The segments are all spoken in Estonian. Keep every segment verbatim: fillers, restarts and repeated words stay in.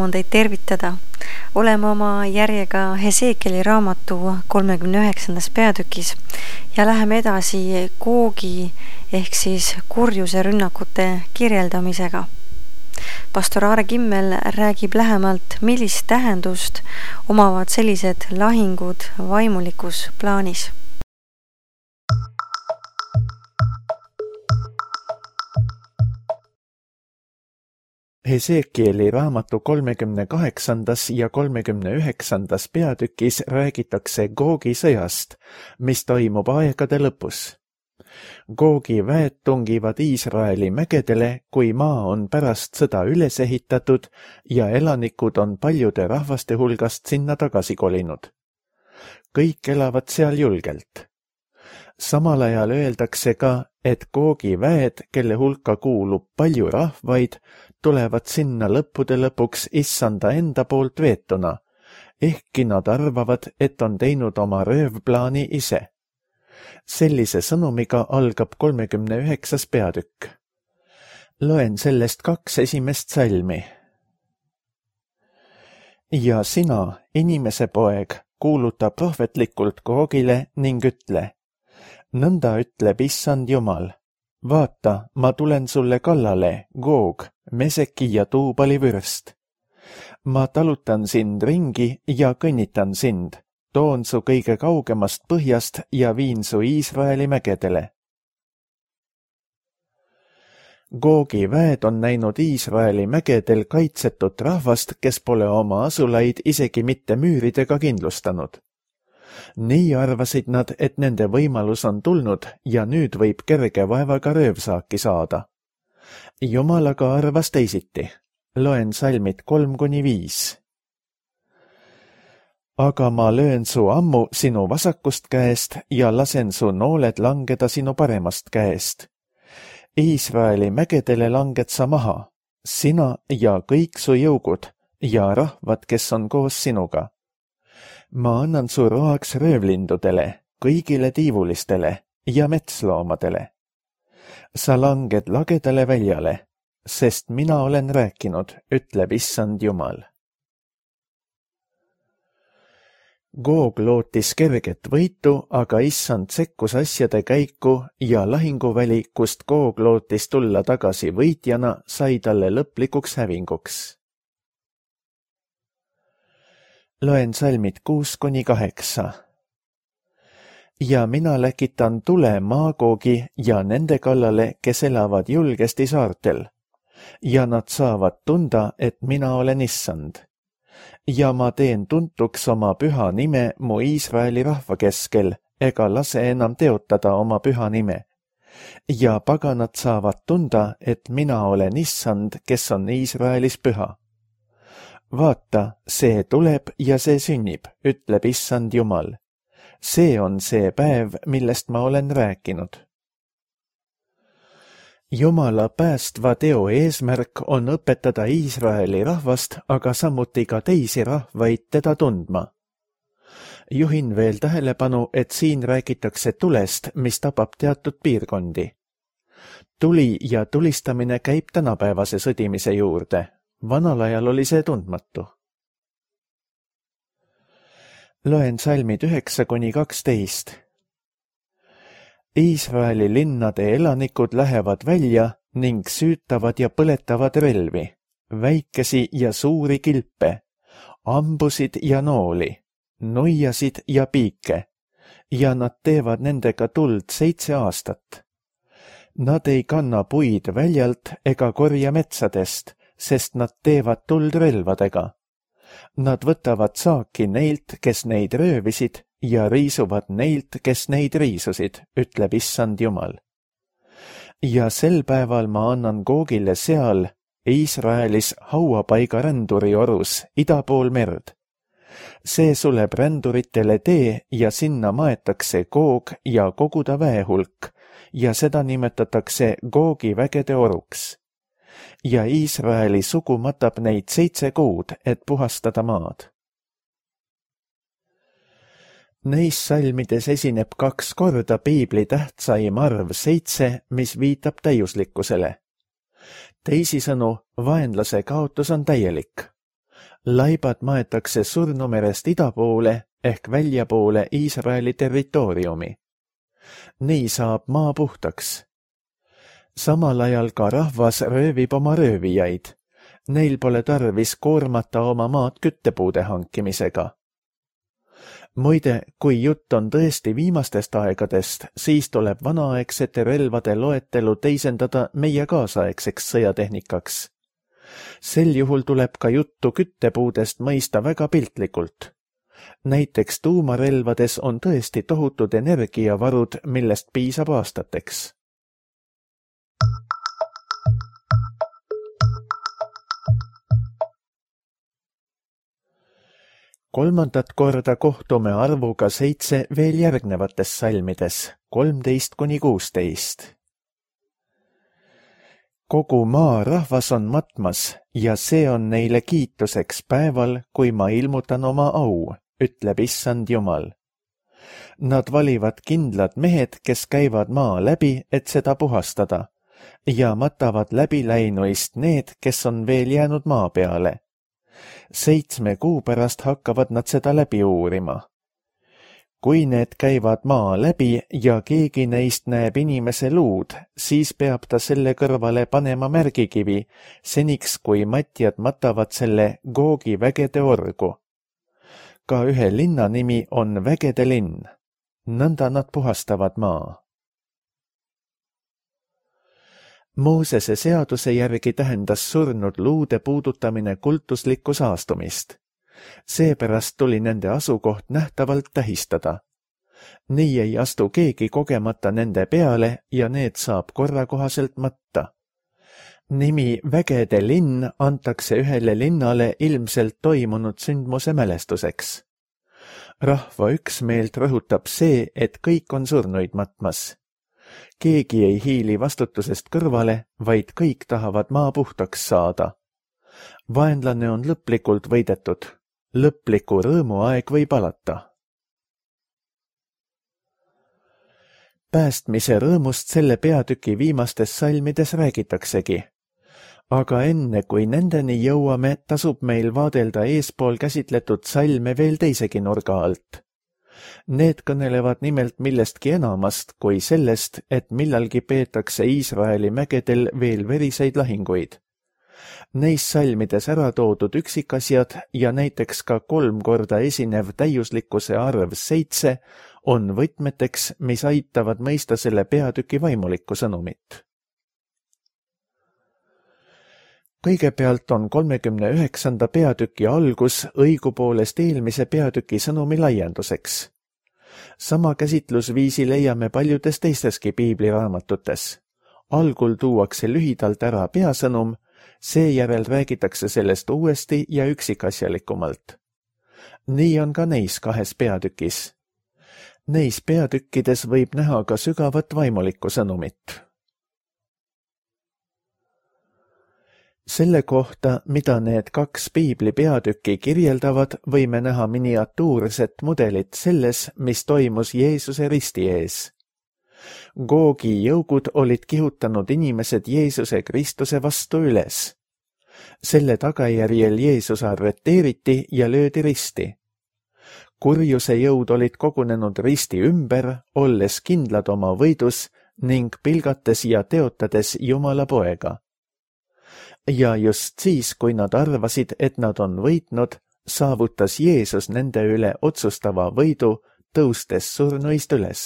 rõõm on teid tervitada. Oleme oma järjega Hesekieli raamatu kolmekümne üheksandas peatükis ja läheme edasi Googi ehk siis kurjuse rünnakute kirjeldamisega. Pastor Aare Kimmel räägib lähemalt, millist tähendust omavad sellised lahingud vaimulikus plaanis. Hesekieli raamatu kolmekümne kaheksandas ja kolmekümne üheksandas peatükis räägitakse Googi sõjast, mis toimub aegade lõpus. Googi väed tungivad Iisraeli mägedele, kui maa on pärast sõda üles ehitatud ja elanikud on paljude rahvaste hulgast sinna tagasi kolinud. Kõik elavad seal julgelt. Samal ajal öeldakse ka, et Googi väed, kelle hulka kuulub palju rahvaid, tulevad sinna lõppude lõpuks issanda enda poolt veetuna, ehkki nad arvavad, et on teinud oma röövplaani ise. Sellise sõnumiga algab kolmekümne üheksas peatükk. Loen sellest kaks esimest salmi. Ja sina, inimese poeg, kuuluta prohvetlikult Googile ning ütle, nõnda ütleb issand Jumal. Vaata, ma tulen sulle kallale, Goog, Meseki ja Tuubali vürst. Ma talutan sind ringi ja kõnnitan sind, toon su kõige kaugemast põhjast ja viin su Iisraeli mägedele. Googi väed on näinud Iisraeli mägedel kaitsetut rahvast, kes pole oma asulaid isegi mitte müüridega kindlustanud. Nii arvasid nad, et nende võimalus on tulnud ja nüüd võib kerge vaevaga röövsaaki saada. Jumal aga arvas teisiti. Loen salmid kolm kuni viis. Aga ma löön su ammu sinu vasakust käest ja lasen su nooled langeda sinu paremast käest. Iisraeli mägedele langed sa maha, sina ja kõik su jõugud ja rahvad, kes on koos sinuga. Ma annan su roaks röövlindudele, kõigile tiivulistele ja metsloomadele. Sa langed lagedale väljale, sest mina olen rääkinud, ütleb issand Jumal. Goog lootis kerget võitu, aga issand sekkus asjade käiku ja lahinguväli, kust Goog lootis tulla tagasi võitjana, sai talle lõplikuks hävinguks. Loen salmid kuus kuni kaheksa. Ja mina läkitan tule Maagoogi ja nende kallale, kes elavad julgesti saartel. Ja nad saavad tunda, et mina olen issand. Ja ma teen tuntuks oma püha nime mu Iisraeli rahva keskel, ega lase enam teotada oma püha nime. Ja paganad saavad tunda, et mina olen issand, kes on Iisraelis püha. Vaata, see tuleb ja see sünnib, ütleb issand Jumal. See on see päev, millest ma olen rääkinud. Jumala päästva teo eesmärk on õpetada Iisraeli rahvast, aga samuti ka teisi rahvaid teda tundma. Juhin veel tähelepanu, et siin räägitakse tulest, mis tabab teatud piirkondi. Tuli ja tulistamine käib tänapäevase sõdimise juurde. Vanal ajal oli see tundmatu. Loen salmid üheksa kuni kaksteist. Iisraeli linnade elanikud lähevad välja ning süütavad ja põletavad relvi, väikesi ja suuri kilpe, ambusid ja nooli, nuiasid ja piike, ja nad teevad nendega tuld seitse aastat. Nad ei kanna puid väljalt ega korja metsadest, sest nad teevad tuld relvadega. Nad võtavad saaki neilt, kes neid röövisid, ja riisuvad neilt, kes neid riisusid, ütleb issand Jumal. Ja sel päeval ma annan Googile seal, Iisraelis hauapaiga ränduri orus, ida pool merd. See suleb ränduritele tee ja sinna maetakse Goog ja kogu ta väehulk, ja seda nimetatakse Googi vägede oruks. Ja Iisraeli sugu matab neid seitse kuud, et puhastada maad. Neis salmides esineb kaks korda piibli tähtsaim arv seitse, mis viitab täiuslikkusele. Teisisõnu, vaenlase kaotus on täielik. laibad maetakse Surnumerest ida poole ehk väljapoole Iisraeli territooriumi. Nii saab maa puhtaks. Samal ajal ka rahvas röövib oma röövijaid. Neil pole tarvis koormata oma maad küttepuude hankimisega. Muide, kui jutt on tõesti viimastest aegadest, siis tuleb vanaaegsete relvade loetelu teisendada meie kaasaegseks sõjatehnikaks. Sel juhul tuleb ka juttu küttepuudest mõista väga piltlikult. Näiteks tuumarelvades on tõesti tohutud energiavarud, millest piisab aastateks. Kolmandat korda kohtume arvuga seitse veel järgnevates salmides, kolmteist kuni kuusteist. Kogu maa rahvas on matmas ja see on neile kiituseks päeval, kui ma ilmutan oma au, ütleb issand Jumal. Nad valivad kindlad mehed, kes käivad maa läbi, et seda puhastada, ja matavad läbi läinuist need, kes on veel jäänud maa peale. Seitsme kuu pärast hakkavad nad seda läbi uurima. Kui need käivad maa läbi ja keegi neist näeb inimese luud, siis peab ta selle kõrvale panema märgikivi, seniks kui matjad matavad selle Googi vägede orgu. Ka ühe linna nimi on Vägede linn. Nõnda nad puhastavad maa. Moosese seaduse järgi tähendas surnud luude puudutamine kultuslikku saastumist. Seepärast tuli nende asukoht nähtavalt tähistada. Nii ei astu keegi kogemata nende peale ja need saab korrakohaselt matta. Nimi Vägede linn antakse ühele linnale ilmselt toimunud sündmuse mälestuseks. Rahva üksmeelt rõhutab see, et kõik on surnuid matmas. Keegi ei hiili vastutusest kõrvale, vaid kõik tahavad maa puhtaks saada. Vaenlane on lõplikult võidetud. Lõpliku rõõmuaeg võib alata. Päästmise rõõmust selle peatüki viimastes salmides räägitaksegi. Aga enne kui nendeni jõuame, tasub meil vaadelda eespool käsitletud salme veel teisegi nurga alt. Need kõnelevad nimelt millestki enamast kui sellest, et millalgi peetakse Iisraeli mägedel veel veriseid lahinguid. Neis salmides ära toodud üksikasjad ja näiteks ka kolm korda esinev täiuslikkuse arv seitse on võtmeteks, mis aitavad mõista selle peatüki vaimulikku sõnumit. Kõigepealt on kolmekümne üheksanda peatüki algus õigupoolest eelmise peatüki sõnumi laienduseks. Sama käsitlusviisi leiame paljudes teisteski piibliraamatutes. Algul tuuakse lühidalt ära peasõnum, seejärel räägitakse sellest uuesti ja üksikasjalikumalt. Nii on ka neis kahes peatükis. Neis peatükkides võib näha ka sügavat vaimulikku sõnumit. Selle kohta, mida need kaks piibli peatükki kirjeldavad, võime näha miniatuurset mudelit selles, mis toimus Jeesuse risti ees. Googi jõugud olid kihutanud inimesed Jeesuse Kristuse vastu üles. Selle tagajärjel Jeesus arreteeriti ja löödi risti. Kurjuse jõud olid kogunenud risti ümber, olles kindlad oma võidus ning pilgates ja teotades Jumala poega. Ja just siis, kui nad arvasid, et nad on võitnud, saavutas Jeesus nende üle otsustava võidu, tõustes surnuist üles.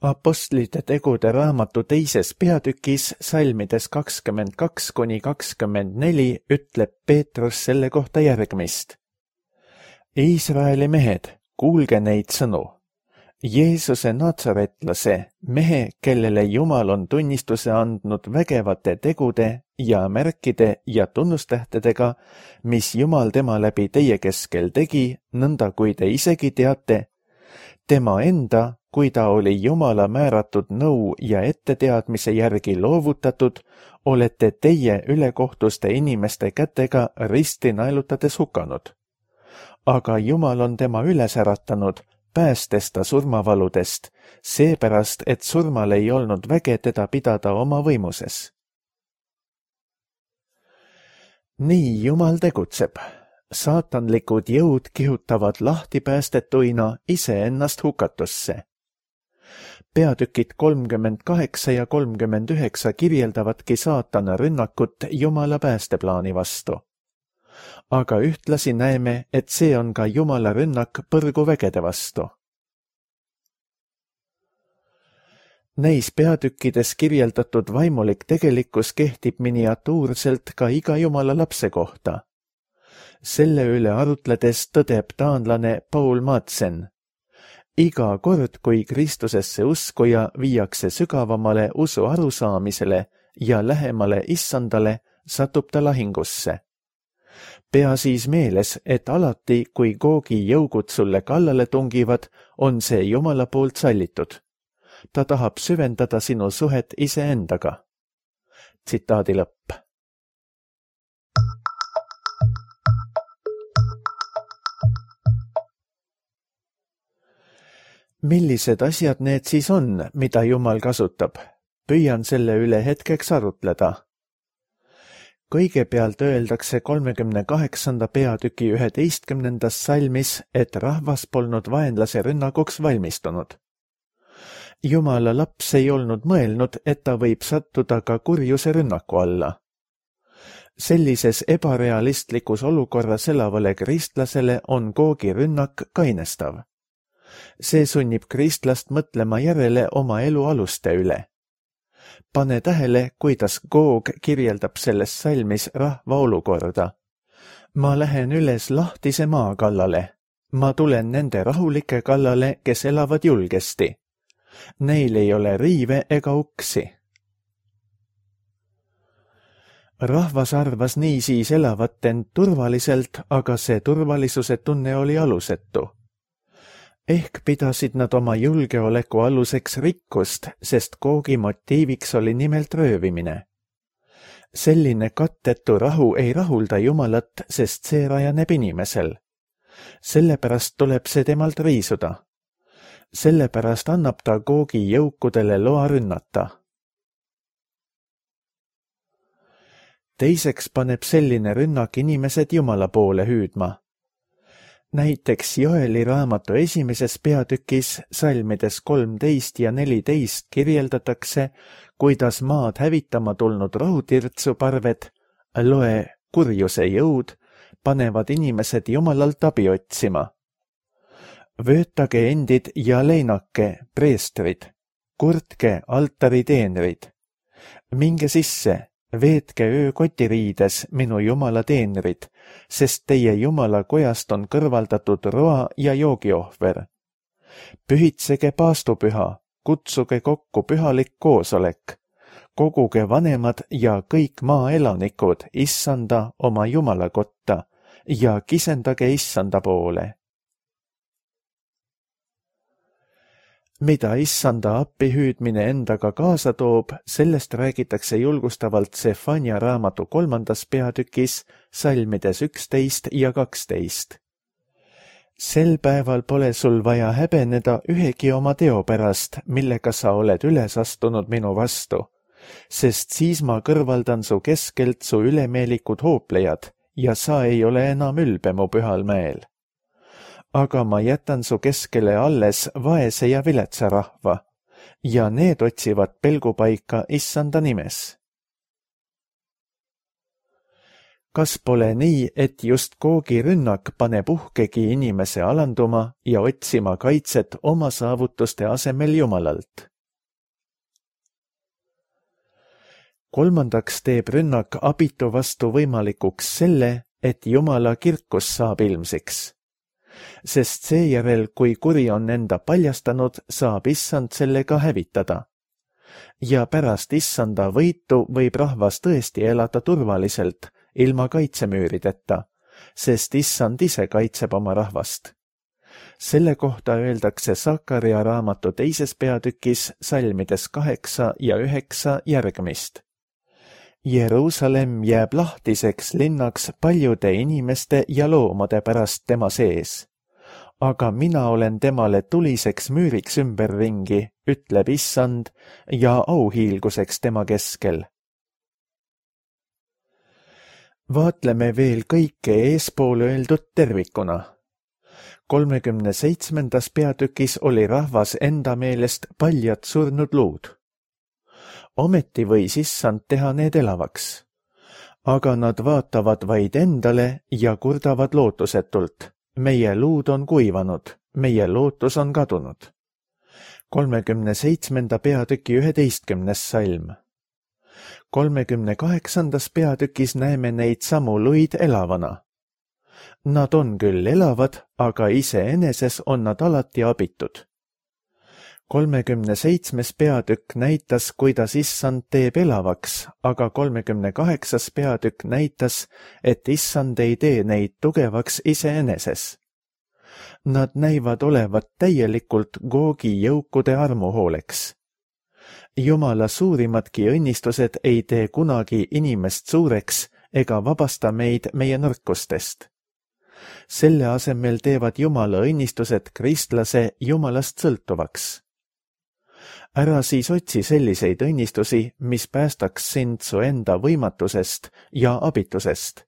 Apostlite tegude raamatu teises peatükis, salmides kakskümmend kaks kuni kakskümmend neli, ütleb Peetrus selle kohta järgmist. Iisraeli mehed, kuulge neid sõnu. Jeesuse natsaretlase, mehe, kellele Jumal on tunnistuse andnud vägevate tegude ja märkide ja tunnustähtedega, mis Jumal tema läbi teie keskel tegi, nõnda kui te isegi teate, tema enda, kui ta oli Jumala määratud nõu ja etteteadmise järgi loovutatud, olete teie ülekohtuste inimeste kätega risti naelutades hukanud. Aga Jumal on tema üles äratanud, päästes ta surmavaludest, seepärast, et surmal ei olnud väge teda pidada oma võimuses. Nii Jumal tegutseb. saatanlikud jõud kihutavad lahtipäästetuina iseennast hukatusse. Peatükid kolmkümmend kaheksa ja kolmkümmend üheksa kirjeldavadki saatana rünnakut Jumala päästeplaani vastu. Aga ühtlasi näeme, et see on ka Jumala rünnak põrguvägede vastu. Neis peatükkides kirjeldatud vaimulik tegelikkus kehtib miniatuurselt ka iga Jumala lapse kohta. Selle üle arutledes tõdeb taanlane Paul Madsen. Iga kord, kui Kristusesse uskuja viiakse sügavamale usu arusaamisele ja lähemale issandale, satub ta lahingusse. Pea siis meeles, et alati, kui Googi jõugud sulle kallale tungivad, on see Jumala poolt sallitud. Ta tahab süvendada sinu suhet iseendaga. Tsitaadi lõpp. Millised asjad need siis on, mida Jumal kasutab? Püüan selle üle hetkeks arutleda. Kõigepealt öeldakse kolmekümne kaheksanda peatüki üheteistkümnendas salmis, et rahvas polnud vaenlase rünnakuks valmistunud. Jumala laps ei olnud mõelnud, et ta võib sattuda ka kurjuse rünnaku alla. Sellises ebarealistlikus olukorras elavale kristlasele on Googi rünnak kainestav. See sunnib kristlast mõtlema järele oma elu aluste üle. Pane tähele, kuidas Goog kirjeldab selles salmis rahva olukorda. Ma lähen üles lahtise maa kallale. Ma tulen nende rahulike kallale, kes elavad julgesti. Neil ei ole riive ega uksi. Rahvas arvas niisiis elavat end turvaliselt, aga see turvalisuse tunne oli alusetu. Ehk pidasid nad oma julgeoleku aluseks rikkust, sest Googi motiiviks oli nimelt röövimine. Selline kattetu rahu ei rahulda Jumalat, sest see rajaneb inimesel. Sellepärast tuleb see temalt riisuda. Sellepärast annab ta Googi jõukudele loa rünnata. Teiseks paneb selline rünnak inimesed Jumala poole hüüdma. Näiteks Joeli raamatu esimeses peatükis salmides kolmteist ja neliteist kirjeldatakse, kuidas maad hävitama tulnud rohutirtsuparved, loe kurjuse jõud, panevad inimesed Jumalalt abi otsima. Vöötage endid ja leinake, preestrid, kurtke altariteenrid. Minge sisse, veetke öö kotiriides, minu Jumala teenrid, sest teie Jumala kojast on kõrvaldatud roa ja joogiohver. Pühitsege paastupüha, kutsuge kokku pühalik koosolek, koguge vanemad ja kõik maaelanikud issanda oma Jumala kotta ja kisendage issanda poole. Mida issanda appihüüdmine endaga kaasa toob, sellest räägitakse julgustavalt Sefania raamatu kolmandas peatükis, salmides üksteist ja kaksteist. Sel päeval pole sul vaja häbeneda ühegi oma teo pärast, millega sa oled üles astunud minu vastu, sest siis ma kõrvaldan su keskelt su ülemeelikud hooplejad ja sa ei ole enam ülbe mu pühal mäel. Aga ma jätan su keskele alles vaese ja viletsa rahva, ja need otsivad pelgupaika issanda nimes. Kas pole nii, et just Googi rünnak paneb uhkegi inimese alanduma ja otsima kaitset oma saavutuste asemel Jumalalt? Kolmandaks teeb rünnak abitu vastu võimalikuks selle, et Jumala kirkus saab ilmsiks. Sest seejärel, kui kuri on enda paljastanud, saab issand sellega hävitada. Ja pärast issanda võitu võib rahvas tõesti elada turvaliselt, ilma kaitsemüürideta, sest issand ise kaitseb oma rahvast. Selle kohta öeldakse Sakaria raamatu teises peatükis salmides kaheksa ja üheksa järgmist. Jeruusalemm jääb lahtiseks linnaks paljude inimeste ja loomade pärast tema sees. Aga mina olen temale tuliseks müüriks ümberringi, ütleb issand, ja auhiilguseks tema keskel. Vaatleme veel kõike eespool öeldud tervikuna. kolmekümne seitsmendas peatükis oli rahvas enda meelest paljad surnud luud. Ometi võis issand teha need elavaks. Aga nad vaatavad vaid endale ja kurdavad lootusetult. Meie luud on kuivanud, meie lootus on kadunud. kolmekümne seitsmenda peatüki üheteistkümnes salm. kolmekümne kaheksandas peatükis näeme neid samu luid elavana. Nad on küll elavad, aga iseeneses on nad alati abitud. kolmekümne seitsmes peatükk näitas, kuidas issand teeb elavaks, aga kolmekümne kaheksas peatükk näitas, et issand ei tee neid tugevaks iseeneses. Nad näivad olevat täielikult Googi jõukude armuhooleks. Jumala suurimadki õnnistused ei tee kunagi inimest suureks ega vabasta meid meie nõrkustest. Selle asemel teevad Jumala õnnistused kristlase Jumalast sõltuvaks. Ära siis otsi selliseid õnnistusi, mis päästaks sind su enda võimatusest ja abitusest.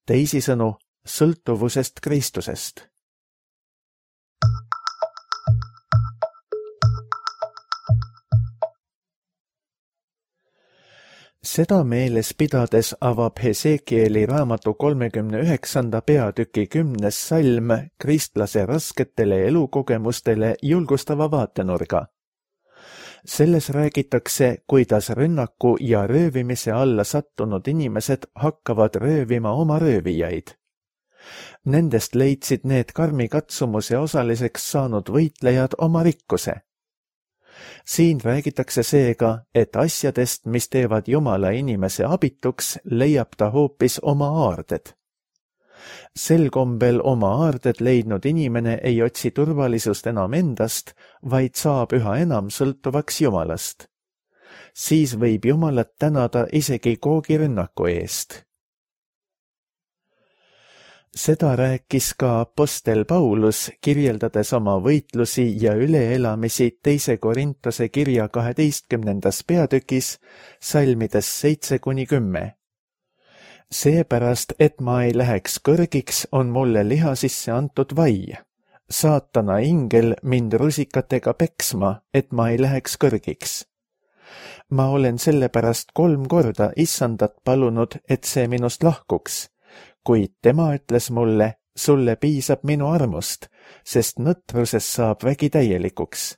Teisisõnu, sõltuvusest Kristusest. Seda meeles pidades avab Hesekieli raamatu kolmekümne üheksanda peatüki kümnes salm kristlase rasketele elukogemustele julgustava vaatenurga. Selles räägitakse, kuidas rünnaku ja röövimise alla sattunud inimesed hakkavad röövima oma röövijaid. Nendest leidsid need karmi katsumuse osaliseks saanud võitlejad oma rikkuse. Siin räägitakse seega, et asjadest, mis teevad Jumala inimese abituks, leiab ta hoopis oma aarded. Sel kombel oma aarded leidnud inimene ei otsi turvalisust enam endast, vaid saab üha enam sõltuvaks Jumalast. Siis võib Jumalat tänada isegi Googi rünnaku eest. Seda rääkis ka apostel Paulus, kirjeldades oma võitlusi ja üleelamisi teise Korintuse kirja kaheteistkümnendas peatükis, salmides seitse kuni kümme. Seepärast, et ma ei läheks kõrgiks, on mulle liha sisse antud vai. Saatana ingel mind rusikatega peksma, et ma ei läheks kõrgiks. Ma olen sellepärast kolm korda issandat palunud, et see minust lahkuks. Kuid tema ütles mulle, sulle piisab minu armust, sest nõtruses saab vägi täielikuks.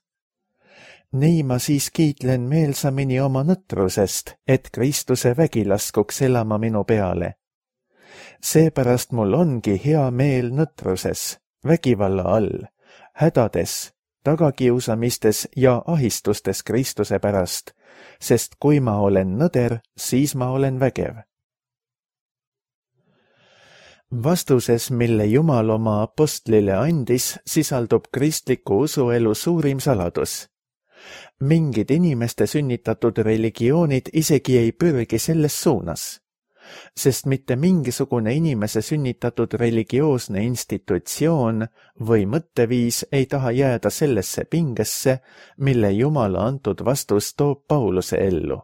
Nii ma siis kiitlen meelsamini oma nõtrusest, et Kristuse vägi laskuks elama minu peale. Seepärast mul ongi hea meel nõtruses, vägivalla all, hädades, tagakiusamistes ja ahistustes Kristuse pärast, sest kui ma olen nõder, siis ma olen vägev. Vastuses, mille Jumal oma apostlile andis, sisaldub kristliku usuelu suurim saladus. Mingid inimeste sünnitatud religioonid isegi ei pürgi selles suunas, sest mitte mingisugune inimese sünnitatud religioosne institutsioon või mõtteviis ei taha jääda sellesse pingesse, mille Jumala antud vastus toob Pauluse ellu.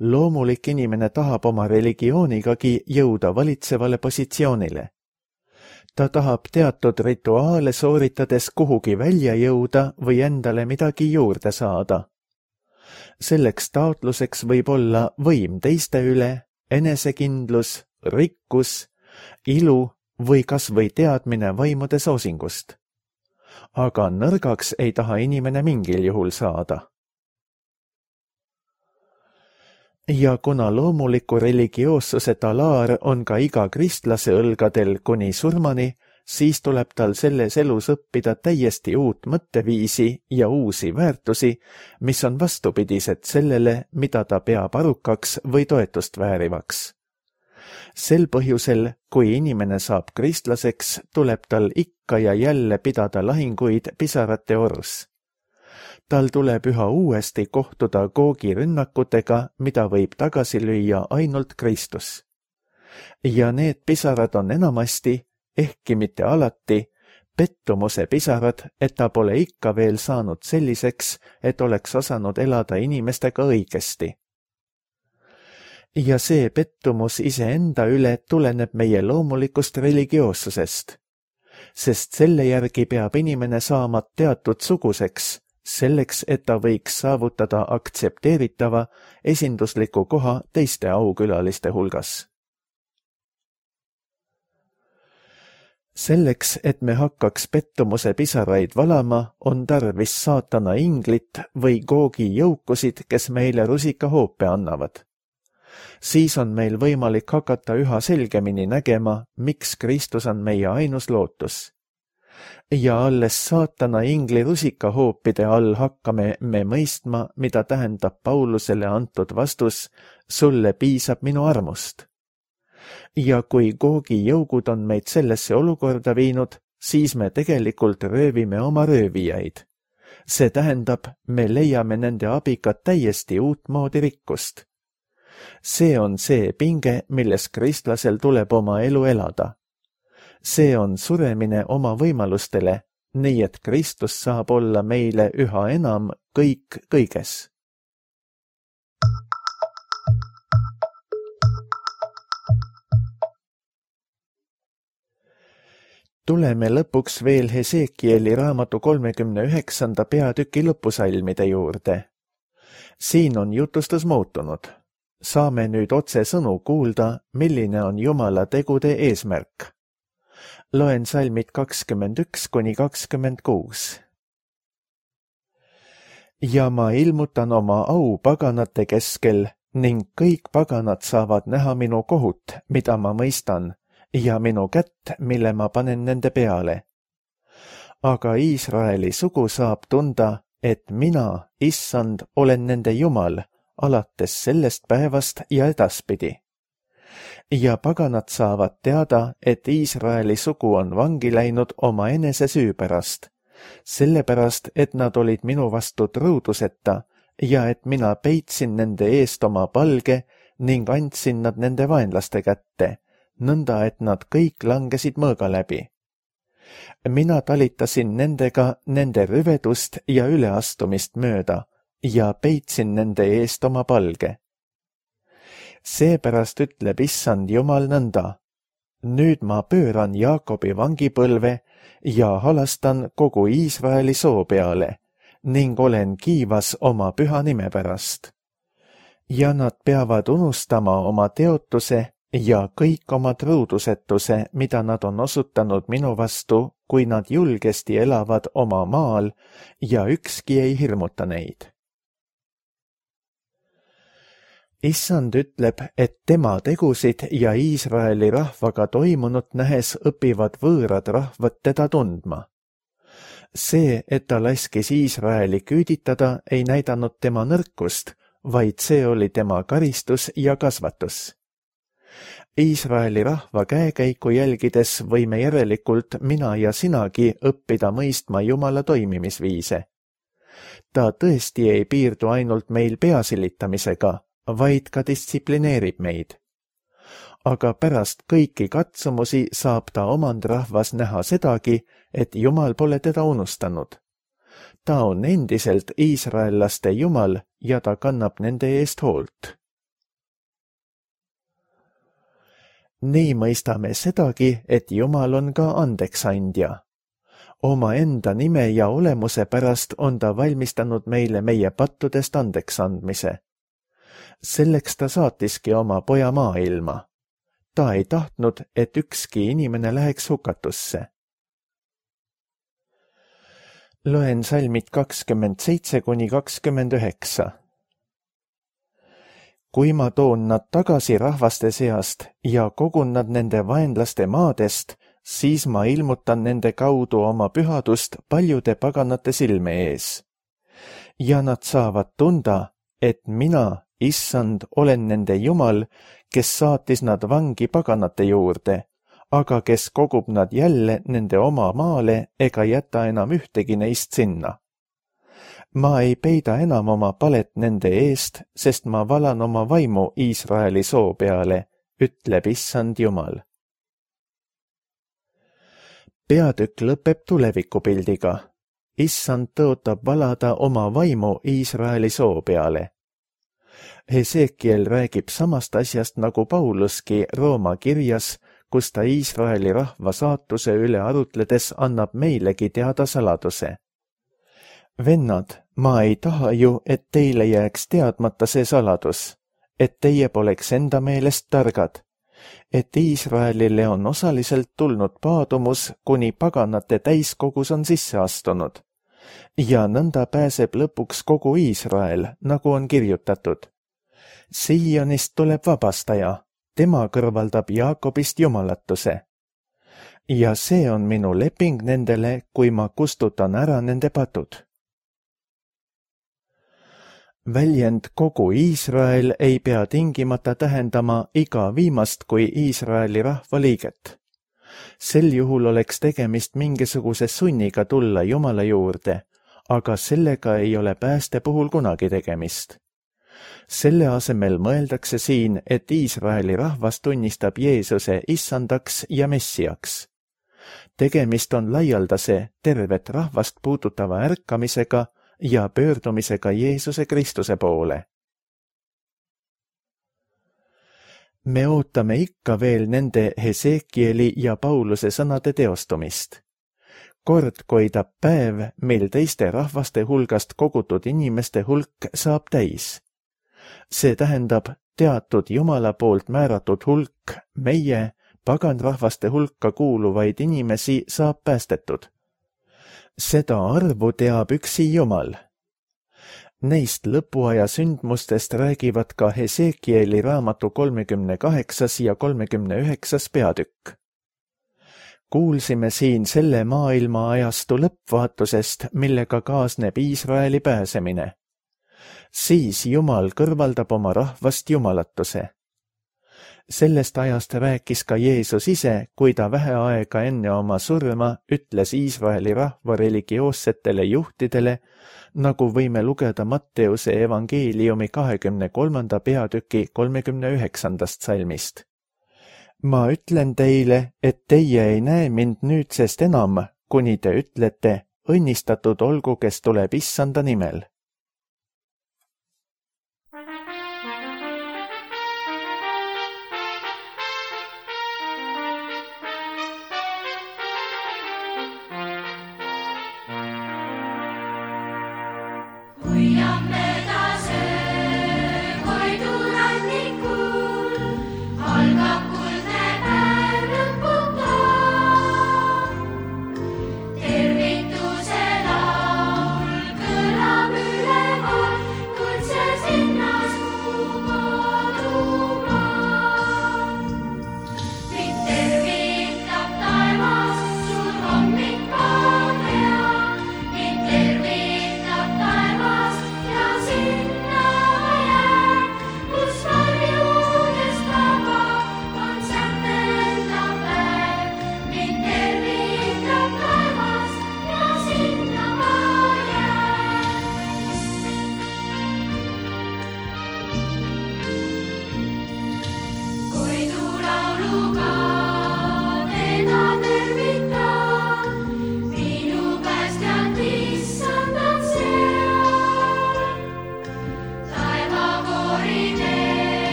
Loomulik inimene tahab oma religioonigagi jõuda valitsevale positsioonile. Ta tahab teatud rituaale sooritades kuhugi välja jõuda või endale midagi juurde saada. Selleks taotluseks võib olla võim teiste üle, enesekindlus, rikkus, ilu või kas või teadmine vaimude soosingust. Aga nõrgaks ei taha inimene mingil juhul saada. Ja kuna loomuliku religioossuse talaar on ka iga kristlase õlgadel kuni surmani, siis tuleb tal selles elus õppida täiesti uut mõtteviisi ja uusi väärtusi, mis on vastupidised sellele, mida ta peab arukaks või toetust väärivaks. Sel põhjusel, kui inimene saab kristlaseks, tuleb tal ikka ja jälle pidada lahinguid pisarate orus. Tal tuleb üha uuesti kohtuda Googi rünnakutega, mida võib tagasi lüüa ainult Kristus. Ja need pisarad on enamasti, ehkki mitte alati, pettumuse pisarad, et ta pole ikka veel saanud selliseks, et oleks osanud elada inimestega õigesti. ja see pettumus iseenda üle tuleneb meie loomulikust religioossusest, sest selle järgi peab inimene saama teatud suguseks, selleks, et ta võiks saavutada aktsepteeritava esindusliku koha teiste aukülaliste hulgas. Selleks, et me hakkaks pettumuse pisaraid valama, on tarvis saatana inglit või Googi jõukusid, kes meile rusikahoope annavad. Siis on meil võimalik hakata üha selgemini nägema, miks Kristus on meie ainus lootus. Ja alles saatana ingli rusikahoopide all hakkame me mõistma, mida tähendab Paulusele antud vastus, sulle piisab minu armust. Ja kui Googi jõugud on meid sellesse olukorda viinud, siis me tegelikult röövime oma röövijaid. See tähendab, me leiame nende abiga täiesti uut moodi rikkust. See on see pinge, milles kristlasel tuleb oma elu elada. See on suremine oma võimalustele, nii et Kristus saab olla meile üha enam kõik kõiges. Tuleme lõpuks veel Hesekieli raamatu kolmekümne üheksanda peatüki lõpusalmide juurde. Siin on jutustus muutunud. Saame nüüd otse sõnu kuulda, milline on Jumala tegude eesmärk. Loen salmid kakskümmend üks kuni kakskümmend kuus. Ja ma ilmutan oma au paganate keskel ning kõik paganad saavad näha minu kohut, mida ma mõistan, ja minu kätt, mille ma panen nende peale. Aga Iisraeli sugu saab tunda, et mina, issand, olen nende Jumal, alates sellest päevast ja edaspidi. Ja paganad saavad teada, et Iisraeli sugu on vangi läinud oma enese süü pärast, sellepärast, et nad olid minu vastu truuduseta ja et mina peitsin nende eest oma palge ning andsin nad nende vaenlaste kätte, nõnda et nad kõik langesid mõõga läbi. Mina talitasin nendega nende rüvedust ja üleastumist mööda ja peitsin nende eest oma palge. Seepärast ütleb issand Jumal nõnda. Nüüd ma pööran Jaakobi vangipõlve ja halastan kogu Iisraeli soo peale ning olen kiivas oma püha nime pärast. Ja nad peavad unustama oma teotuse ja kõik oma truudusetuse, mida nad on osutanud minu vastu, kui nad julgesti elavad oma maal ja ükski ei hirmuta neid. Issand ütleb, et tema tegusid ja Iisraeli rahvaga toimunut nähes õpivad võõrad rahvad teda tundma. See, et ta laskis Iisraeli küüditada, ei näidanud tema nõrkust, vaid see oli tema karistus ja kasvatus. Iisraeli rahva käekäiku jälgides võime järelikult mina ja sinagi õppida mõistma Jumala toimimisviise. Ta tõesti ei piirdu ainult meil peasilitamisega, vaid ka distsiplineerib meid. Aga pärast kõiki katsumusi saab ta omandrahvas näha sedagi, et Jumal pole teda unustanud. Ta on endiselt iisraellaste Jumal ja ta kannab nende eest hoolt. Nii mõistame sedagi, et Jumal on ka andeksandja. Oma enda nime ja olemuse pärast on ta valmistanud meile meie pattudest andeksandmise. Selleks ta saatiski oma poja maailma. Ta ei tahtnud, et ükski inimene läheks hukatusse. Loen salmid kakskümmend seitse kuni kakskümmend üheksa. Kui ma toon nad tagasi rahvaste seast ja kogun nad nende vaenlaste maadest, siis ma ilmutan nende kaudu oma pühadust paljude paganate silme ees. Ja nad saavad tunda, et mina, issand, olen nende Jumal, kes saatis nad vangi paganate juurde, aga kes kogub nad jälle nende oma maale ega jäta enam ühtegi neist sinna. Ma ei peida enam oma palet nende eest, sest ma valan oma vaimu Iisraeli soo peale, ütleb issand Jumal. Peatükk lõpeb tulevikupildiga. Issand tõotab valada oma vaimu Iisraeli soo peale. Hesekiel räägib samast asjast nagu Pauluski Rooma kirjas, kus ta Iisraeli rahva saatuse üle arutledes annab meilegi teada saladuse. Vennad, ma ei taha ju, et teile jääks teadmata see saladus, et teie poleks enda meelest targad, et Iisraelile on osaliselt tulnud paadumus, kuni paganate täiskogus on sisse astunud. Ja nõnda pääseb lõpuks kogu Iisrael, nagu on kirjutatud. Siionist tuleb vabastaja, tema kõrvaldab Jaakobist jumalatuse. Ja see on minu leping nendele, kui ma kustutan ära nende patud. Väljend kogu Iisrael ei pea tingimata tähendama iga viimast kui Iisraeli rahvaliiget. Sel juhul oleks tegemist mingisuguse sunniga tulla Jumala juurde, aga sellega ei ole pääste puhul kunagi tegemist. Selle asemel mõeldakse siin, et Iisraeli rahvas tunnistab Jeesuse issandaks ja messiaks. Tegemist on laialdase, tervet rahvast puudutava ärkamisega ja pöördumisega Jeesuse Kristuse poole. Me ootame ikka veel nende Hesekieli ja Pauluse sõnade teostumist. Kord koidab päev, mil teiste rahvaste hulgast kogutud inimeste hulk saab täis. See tähendab, teatud Jumala poolt määratud hulk meie, paganrahvaste hulka kuuluvaid inimesi saab päästetud. Seda arvu teab üksi Jumal. Neist lõpuaja sündmustest räägivad ka Hesekieli raamatu kolmekümne kaheksas ja kolmekümne üheksas peatükk. Kuulsime siin selle maailma ajastu lõppvaatusest, millega kaasneb Iisraeli pääsemine. Siis Jumal kõrvaldab oma rahvast jumalatuse. Sellest ajast rääkis ka Jeesus ise, kui ta vähe aega enne oma surma ütles Iisraeli rahva religioossetele juhtidele, nagu võime lugeda Matteuse evangeeliumi kahekümne kolmanda peatüki kolmekümne üheksandast salmist. Ma ütlen teile, et teie ei näe mind nüüdsest enam, kuni te ütlete, õnnistatud olgu, kes tuleb issanda nimel.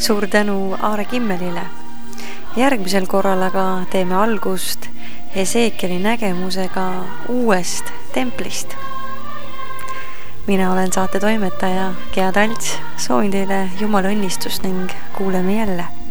Suur tänu Aare Kimmelile. Järgmisel korral aga teeme algust Hesekieli nägemusega uuest templist. Mina olen saate toimetaja Gea Talts, soovin teile Jumala õnnistust ning kuuleme jälle.